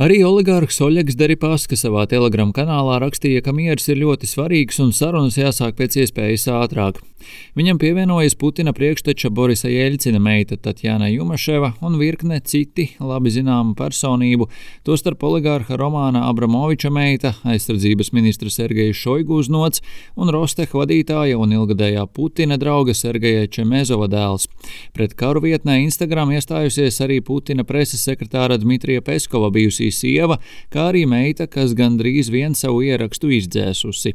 Arī oligārhs Oļegs Deripāskas savā Telegram kanālā rakstīja, ka miers ir ļoti svarīgs un sarunas jāsāk pēc iespējas ātrāk. Viņam pievienojas Putina priekšteča Borisa Jeļcina meita Tatjana Jumaševa un virkne citi labi zināmu personību, tostarp oligārha Romāna Abramoviča meita, aizsardzības ministra Sergeja Šoigu uznots un Rosteh vadītāja un ilgadējā Putina drauga Sergeja Čemezova dēls. Pret karu vietnē Instagram iestājusies arī Putina preses sekretāra Dmitrija Peskova bijusī sieva, kā arī meita, kas gandrīz vien savu ierakstu izdzēsusi.